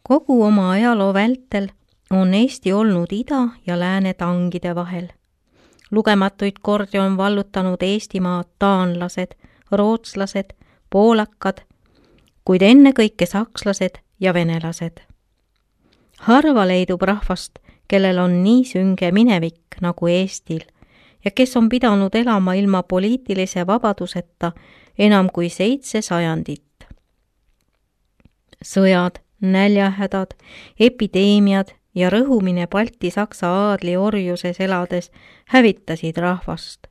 Kogu oma ajaloo vältel on Eesti olnud ida ja lääne tangide vahel. Lugematuid kordi on vallutanud Eestimaad taanlased, rootslased, poolakad, kuid ennekõike sakslased ja venelased. Harva leidub rahvast, kellel on nii sünge minevik nagu Eestil ja kes on pidanud elama ilma poliitilise vabaduseta enam kui 7 sajandit. Sõjad, näljahädad, epideemiad ja rõhumine Balti-Saksa aadli orjuses elades hävitasid rahvast.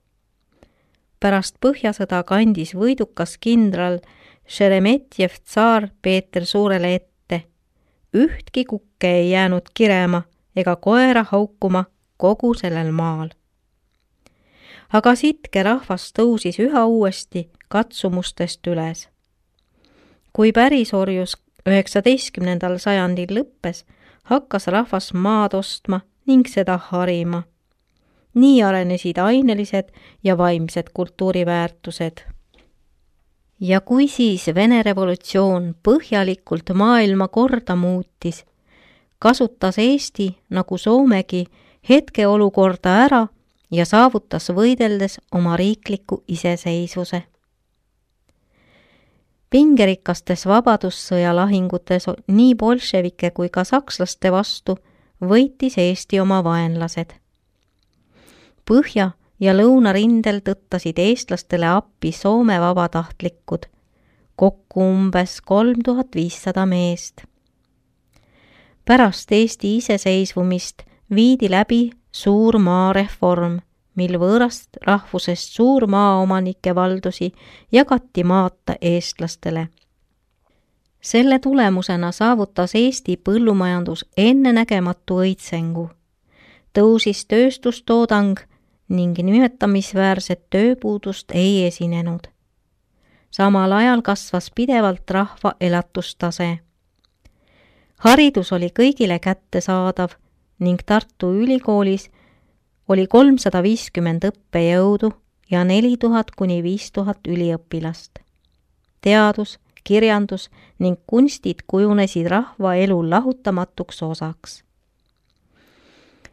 Pärast Põhjasõda kandis võidukas kindral Šeremetjev tsaar Peeter Suurele ette. Ühtki kukke ei jäänud kirema ega koera haukuma kogu sellel maal. Aga sitke rahvas tõusis üha uuesti katsumustest üles. Kui pärisorjus 19. sajandil lõppes, hakkas rahvas maad ostma ning seda harima. Nii arenesid ainelised ja vaimsed kultuuriväärtused. Ja kui siis Vene revolutsioon põhjalikult maailma korda muutis, kasutas Eesti nagu Soomegi hetkeolukorda ära ja saavutas võideldes oma riikliku iseseisvuse. Pingerikastes vabadussõja lahingutes nii bolševike kui ka sakslaste vastu võitis Eesti oma vaenlased. Põhja- ja lõunarindel tõttasid eestlastele appi Soome vabatahtlikud, kokku umbes 3500 meest. Pärast Eesti iseseisvumist viidi läbi suur maareform, mil võõrast rahvusest suur maaomanike valdusi jagati maata eestlastele. Selle tulemusena saavutas Eesti põllumajandus ennenägematu õitsengu. Tõusis tööstustoodang ning nimetamisväärset tööpuudust ei esinenud. Samal ajal kasvas pidevalt rahva elatustase. Haridus oli kõigile kättesaadav ning Tartu Ülikoolis oli 350 õppejõudu ja 4000 kuni 5000 üliõpilast. Teadus, kirjandus ning kunstid kujunesid rahva elu lahutamatuks osaks.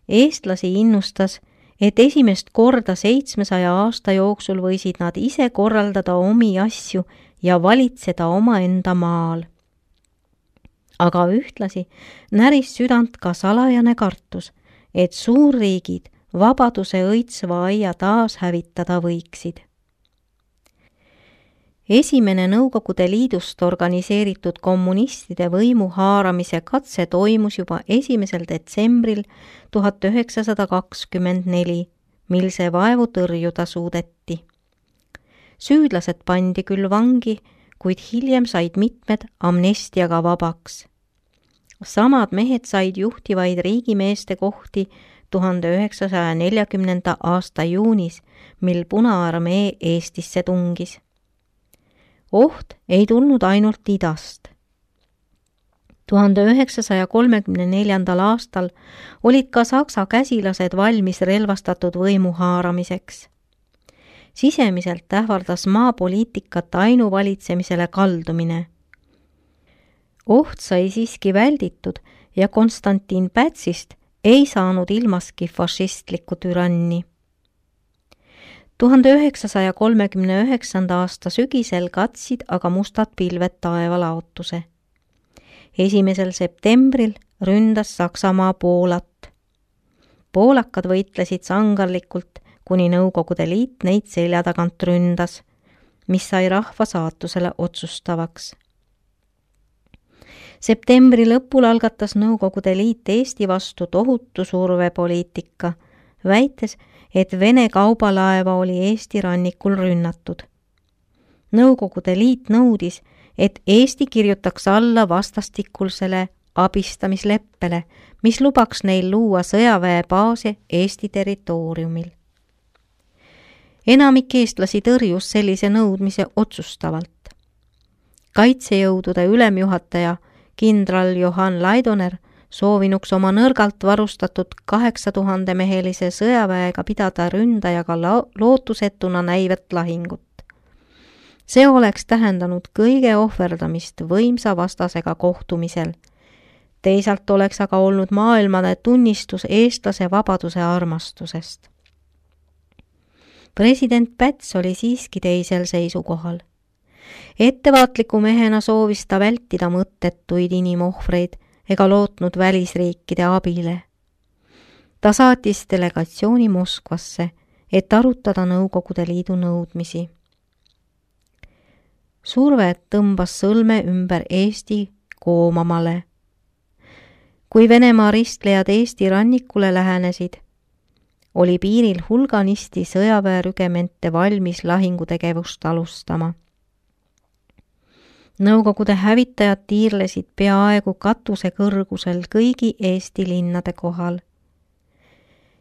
Eestlasi innustas, et esimest korda 700 aasta jooksul võisid nad ise korraldada omi asju ja valitseda omaenda maal. Aga ühtlasi näris südant ka salajane kartus, et suurriigid vabaduse õitsva aia taas hävitada võiksid. Esimene Nõukogude Liidust organiseeritud kommunistide võimu haaramise katse toimus juba 1. detsembril 1924, mil see vaevu tõrjuda suudeti. Süüdlased pandi küll vangi, kuid hiljem said mitmed amnestiaga vabaks. Samad mehed said juhtivaid riigimeeste kohti 1940. aasta juunis, mil Punaarmee Eestisse tungis. Oht ei tulnud ainult idast. 1934. aastal olid ka saksa käsilased valmis relvastatud võimu haaramiseks. Sisemiselt ähvardas maapoliitikat ainuvalitsemisele kaldumine. Oht sai siiski välditud ja Konstantin Pätsist ei saanud ilmaski fašistlikku türanni. 1939. aasta sügisel katsid aga mustad pilved taevalaotuse. 1. septembril ründas Saksamaa Poolat. Poolakad võitlesid sangarlikult, kuni Nõukogude Liit neid selja tagant ründas, mis sai rahva saatusele otsustavaks. Septembri lõpul algatas Nõukogude Liit Eesti vastu tohutu survepoliitika, väites, et Vene kaubalaeva oli Eesti rannikul rünnatud. Nõukogude Liit nõudis, et Eesti kirjutaks alla vastastikulsele abistamisleppele, mis lubaks neil luua sõjaväebaase Eesti territooriumil. Enamik eestlasi tõrjus sellise nõudmise otsustavalt. Kaitsejõudude ülemjuhataja kindral Johann Laidoner soovinuks oma nõrgalt varustatud 8000-mehelise sõjaväega pidada ründajaga lootusetuna näivet lahingut. See oleks tähendanud kõige ohverdamist võimsa vastasega kohtumisel. Teisalt oleks aga olnud maailmane tunnistus eestlase vabaduse armastusest. President Päts oli siiski teisel seisukohal. Ettevaatliku mehena soovis ta vältida mõttetuid inimohvreid ega lootnud välisriikide abile. Ta saatis delegatsiooni Moskvasse, et arutada Nõukogude Liidu nõudmisi. Surve tõmbas sõlme ümber Eesti koomamale. Kui Venemaa ristlejad Eesti rannikule lähenesid, oli piiril hulganisti sõjaväerügemente valmis lahingutegevust alustama. Nõukogude hävitajad tiirlesid peaaegu katuse kõrgusel kõigi Eesti linnade kohal.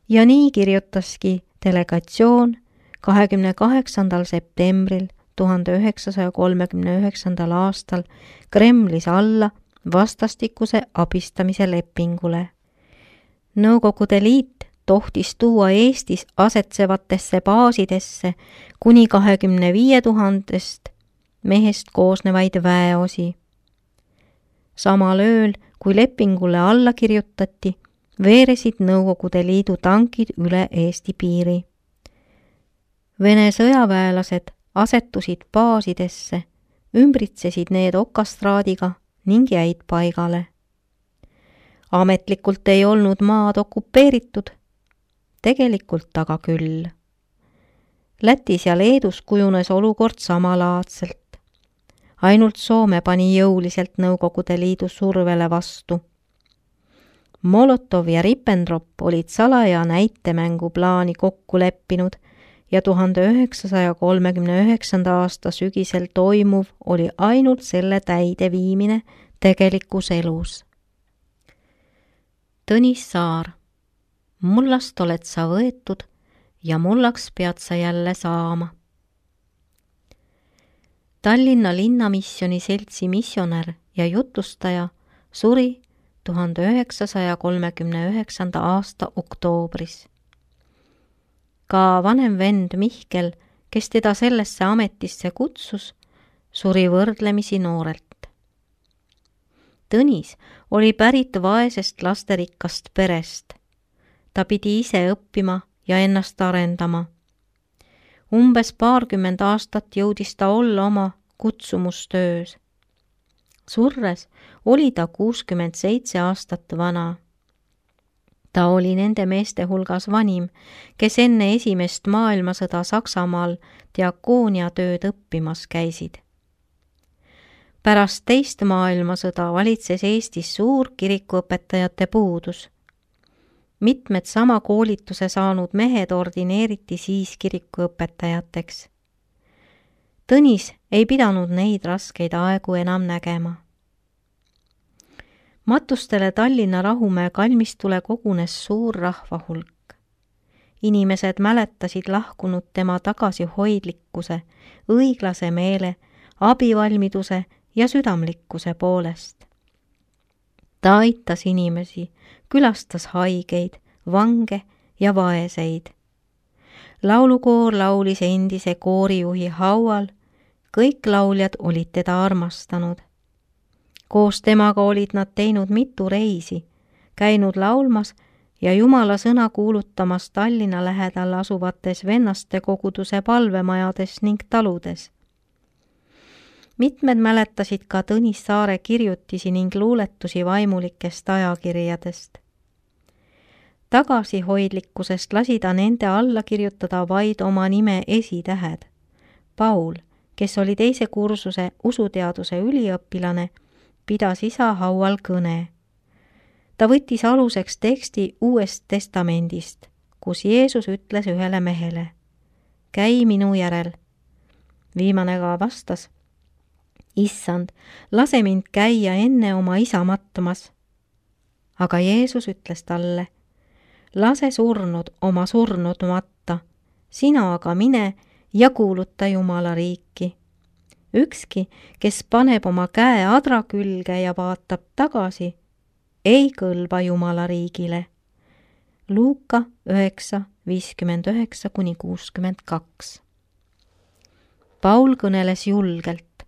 Ja nii kirjutaski delegatsioon 28. septembril 1939. aastal Kremlis alla vastastikuse abistamise lepingule. Nõukogude Liit tohtis tuua Eestis asetsevatesse baasidesse kuni 25 000 mehest koosnevaid väeosi. Samal ööl, kui lepingule alla kirjutati, veeresid Nõukogude Liidu tankid üle Eesti piiri. Vene sõjaväelased asetusid baasidesse, ümbritsesid need okastraadiga ning jäid paigale. Ametlikult ei olnud maad okupeeritud, tegelikult aga küll. Lätis ja Leedus kujunes olukord samalaadselt. Ainult Soome pani jõuliselt Nõukogude Liidu survele vastu. Molotov ja Ribbentrop olid salaja näitemängu plaani kokku leppinud ja 1939. aasta sügisel toimuv oli ainult selle täideviimine tegelikus elus. Tõnis Saar, mullast oled sa võetud ja mullaks pead sa jälle saama. Tallinna Linnamisjoni Seltsi missionär ja jutustaja suri 1939. aasta oktoobris. Ka vanem vend Mihkel, kes teda sellesse ametisse kutsus, suri võrdlemisi noorelt. Tõnis oli pärit vaesest lasterikkast perest. Ta pidi ise õppima ja ennast arendama. Umbes 20 aastat jõudis ta olla oma kutsumustöös. Surres oli ta 67 aastat vana. Ta oli nende meeste hulgas vanim, kes enne esimest maailmasõda Saksamaal diakooniatööd õppimas käisid. Pärast teist maailmasõda valitses Eestis suur kirikuõpetajate puudus. Mitmed sama koolituse saanud mehed ordineeriti siis kirikuõpetajateks. Tõnis ei pidanud neid raskeid aegu enam nägema. Matustele Tallinna Rahumäe kalmistule kogunes suur rahvahulk. Inimesed mäletasid lahkunud tema tagasihoidlikkuse, õiglase meele, abivalmiduse ja südamlikkuse poolest. Ta aitas inimesi, külastas haigeid, vange ja vaeseid. Laulukoor laulis endise koorijuhi haual, kõik lauljad olid teda armastanud. Koos temaga olid nad teinud mitu reisi, käinud laulmas ja Jumala sõna kuulutamas Tallinna lähedal asuvates vennaste koguduse palvemajades ning taludes. Mitmed mäletasid ka Tõnis Saare kirjutisi ning luuletusi vaimulikest ajakirjadest. Tagasihoidlikkusest lasi ta nende alla kirjutada vaid oma nime esitähed. Paul, kes oli teise kursuse usuteaduse üliõpilane, pidas isa haual kõne. Ta võttis aluseks teksti Uuest Testamendist, kus Jeesus ütles ühele mehele: käi minu järel. Viimane ka vastas: Issand, lase mind käia enne oma isa mattumas. Aga Jeesus ütles talle: lase surnud oma surnud matta, sina aga mine ja kuuluta Jumala riiki. Ükski, kes paneb oma käe adra külge ja vaatab tagasi, ei kõlba Jumala riigile. Luuka 9:59-62. Paul kõneles julgelt.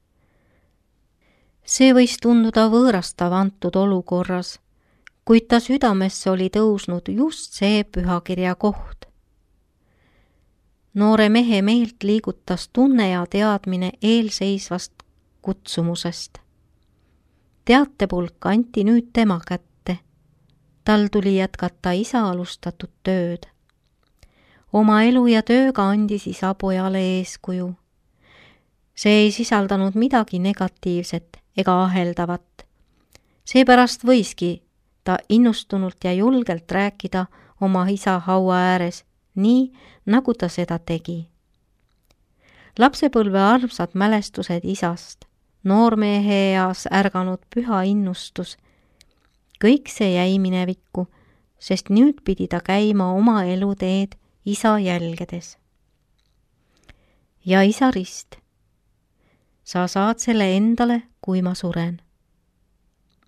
See võis tunduda võõrastav antud olukorras, kuid ta südamesse oli tõusnud just see pühakirja koht. Noore mehe meelt liigutas tunne ja teadmine eelseisvast kutsumusest. Teatepulk anti nüüd tema kätte. Tal tuli jätkata isa alustatud tööd. Oma elu ja tööga andis isa pojale eeskuju. See ei sisaldanud midagi negatiivset ega aheldavat. Seepärast võiski ta innustunult ja julgelt rääkida oma isa haua ääres, nii nagu ta seda tegi. Lapsepõlve armsad mälestused isast, noormehe eas ärganud püha innustus, kõik see jäi minevikku, sest nüüd pidi ta käima oma eluteed isa jälgedes. Ja isa rist, sa saad selle endale, kui ma suren.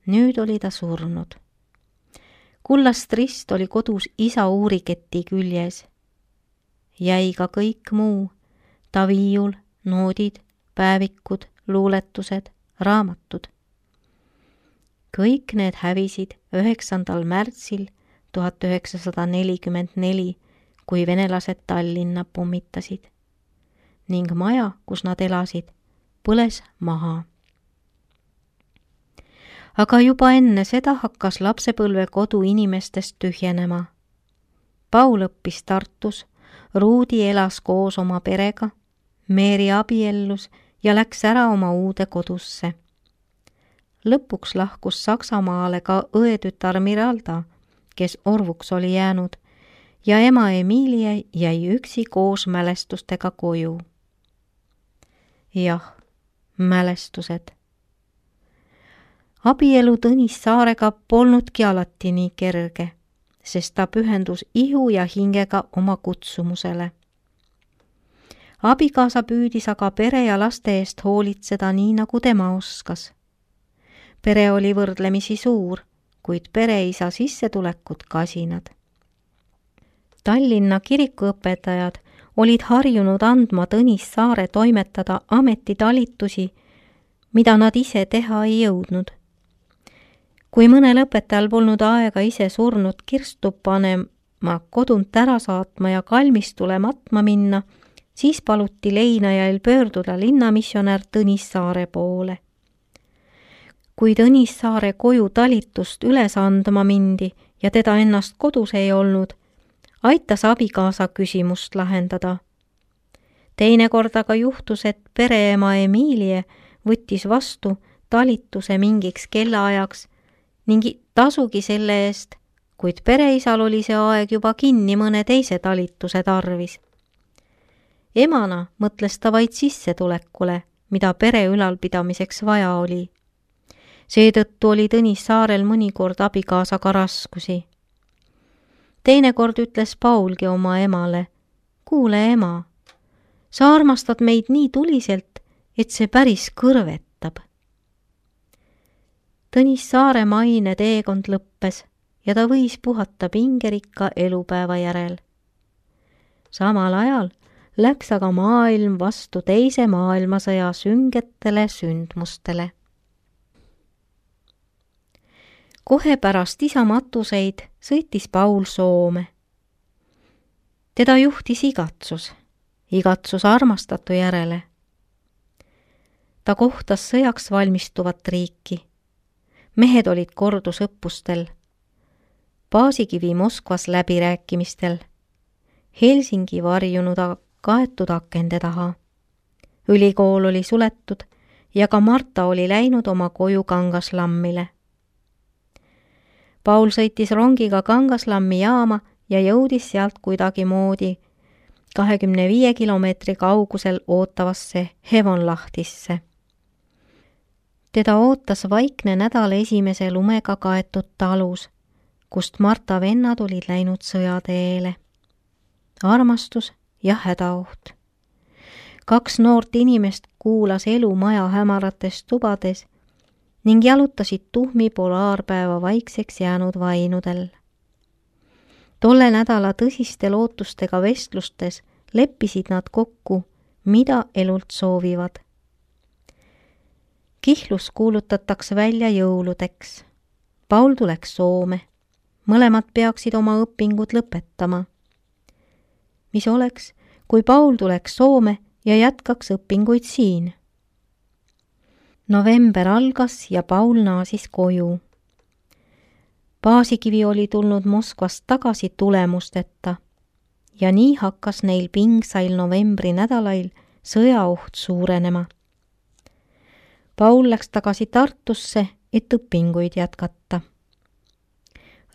Nüüd oli ta surnud. Kullast rist oli kodus isa uuriketi küljes. Jäi ka kõik muu, ta viiul, noodid, päevikud, luuletused, raamatud. Kõik need hävisid 9. märtsil 1944, kui venelased Tallinna pommitasid ning maja, kus nad elasid, põles maha. Aga juba enne seda hakkas lapsepõlve kodu inimestest tühjenema. Paul õppis Tartus, Ruudi elas koos oma perega, Meeri abiellus ja läks ära oma uude kodusse. Lõpuks lahkus Saksamaale ka õetütar Miralda, kes orvuks oli jäänud, ja ema Emilie jäi üksi koos mälestustega koju. Jah, mälestused. Abielu Tõnis Saarega polnudki alati nii kerge, sest ta pühendus ihu ja hingega oma kutsumusele. Abikaasa püüdis aga pere ja laste eest hoolitseda nii, nagu tema oskas. Pere oli võrdlemisi suur, kuid pereisa sissetulekud kasinad. Tallinna kirikuõpetajad olid harjunud andma Tõnis Saare toimetada ametitalitusi, mida nad ise teha ei jõudnud. Kui mõnel õpetajal polnud aega ise surnud kirstu panema, kodunt ära saatma ja kalmistule matma minna, siis paluti leinajail pöörduda linnamissionär Tõnis Saare poole. Kui Tõnis Saare koju talitust üles andma mindi ja teda ennast kodus ei olnud, aitas abikaasa küsimust lahendada. Teinekord aga juhtus, et pereema Emilie võttis vastu talituse mingiks kellaajaks ning tasugi selle eest, kuid pereisal oli see aeg juba kinni mõne teise talituse tarvis. Emana mõtles ta vaid sissetulekule, mida pere ülalpidamiseks vaja oli. Seetõttu oli Tõnis Saarel mõnikord abikaasaga raskusi. Teinekord ütles Paulgi oma emale, kuule ema, sa armastad meid nii tuliselt, et see päris kõrvetab. Tõnis Saare maine teekond lõppes ja ta võis puhata pingerikka elupäeva järel. Samal ajal läks aga maailm vastu teise maailmasõja süngetele sündmustele. Kohe pärast isa matuseid sõitis Paul Soome. Teda juhtis igatsus armastatu järele. Ta kohtas sõjaks valmistuvat riiki. Mehed olid kordusõppustel, Paasikivi Moskvas läbirääkimistel, Helsingi varjunud kaetud akende taha. Ülikool oli suletud ja ka Marta oli läinud oma koju Kangaslammile. Paul sõitis rongiga Kangaslammi jaama ja jõudis sealt kuidagi moodi 25 kilomeetri kaugusel ootavasse Hevonlahtisse. Teda ootas vaikne nädal esimese lumega kaetud talus, kust Marta vennad olid läinud sõjateele. Armastus ja hädaoht. 2 noort inimest kuulas elu maja hämarates tubades ning jalutasid tuhmi polaarpäeva vaikseks jäänud vainudel. Tolle nädala tõsiste lootustega vestlustes leppisid nad kokku, mida elult soovivad. Kihlus kuulutatakse välja jõuludeks. Paul tuleks Soome. Mõlemad peaksid oma õpingud lõpetama. Mis oleks, kui Paul tuleks Soome ja jätkaks õpinguid siin? November algas ja Paul naasis koju. Paasikivi oli tulnud Moskvast tagasi tulemusteta ja nii hakkas neil pingsail novembri nädalail sõjaoht suurenema. Paul läks tagasi Tartusse, et õpinguid jätkata.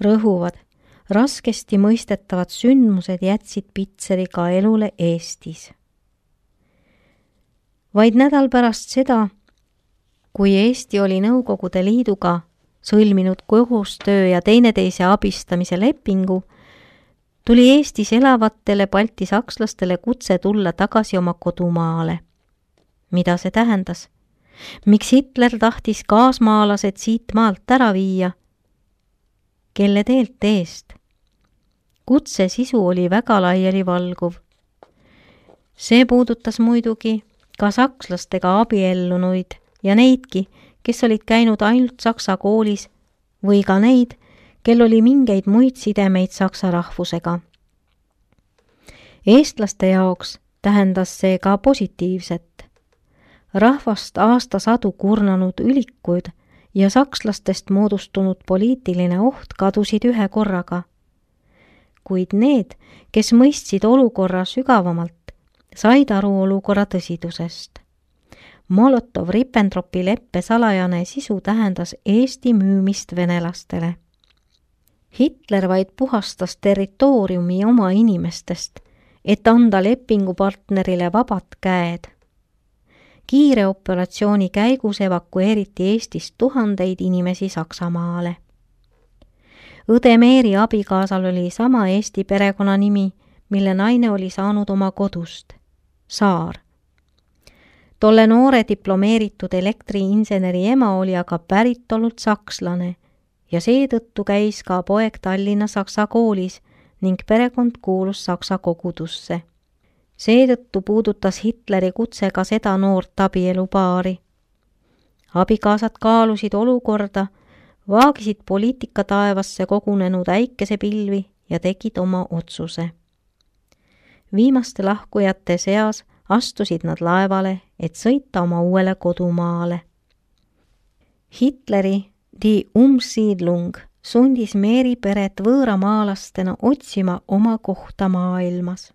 Rõhuvad, raskesti mõistetavad sündmused jätsid Pitseri ka elule Eestis. Vaid nädal pärast seda, kui Eesti oli Nõukogude Liiduga sõlminud koostöö ja teineteise abistamise lepingu, tuli Eestis elavatele balti sakslastele kutse tulla tagasi oma kodumaale. Mida see tähendas? Miks Hitler tahtis kaasmaalased siit maalt ära viia? Kelle teelt eest? Kutse sisu oli väga laialivalguv. See puudutas muidugi ka sakslastega abiellunuid ja neidki, kes olid käinud ainult saksa koolis või ka neid, kel oli mingeid muid sidemeid saksa rahvusega. Eestlaste jaoks tähendas see ka positiivset. Rahvast aastasadu kurnanud ülikuid ja sakslastest moodustunud poliitiline oht kadusid ühe korraga. Kuid need, kes mõistsid olukorra sügavamalt, said aru olukorra tõsidusest. Molotov-Ribbentropi leppe salajane sisu tähendas Eesti müümist venelastele. Hitler vaid puhastas territooriumi oma inimestest, et anda lepingupartnerile vabad käed. Kiire operatsiooni käigus evakueeriti Eestist tuhandeid inimesi Saksamaale. Õde Meeri abikaasal oli sama Eesti perekonnanimi, mille naine oli saanud oma kodust, Saar. Tolle noore diplomeeritud elektriinseneri ema oli aga päritolult sakslane ja seetõttu käis ka poeg Tallinna Saksa koolis ning perekond kuulus Saksa kogudusse. Seetõttu puudutas Hitleri kutse ka seda noort abielupaari. Abikaasad kaalusid olukorda, vaagisid poliitika taevasse kogunenud äikesepilvi ja tegid oma otsuse. Viimaste lahkujate seas astusid nad laevale, et sõita oma uuele kodumaale. Hitleri Die Umsiedlung sundis Meeri peret võõramaalastena otsima oma kohta maailmas.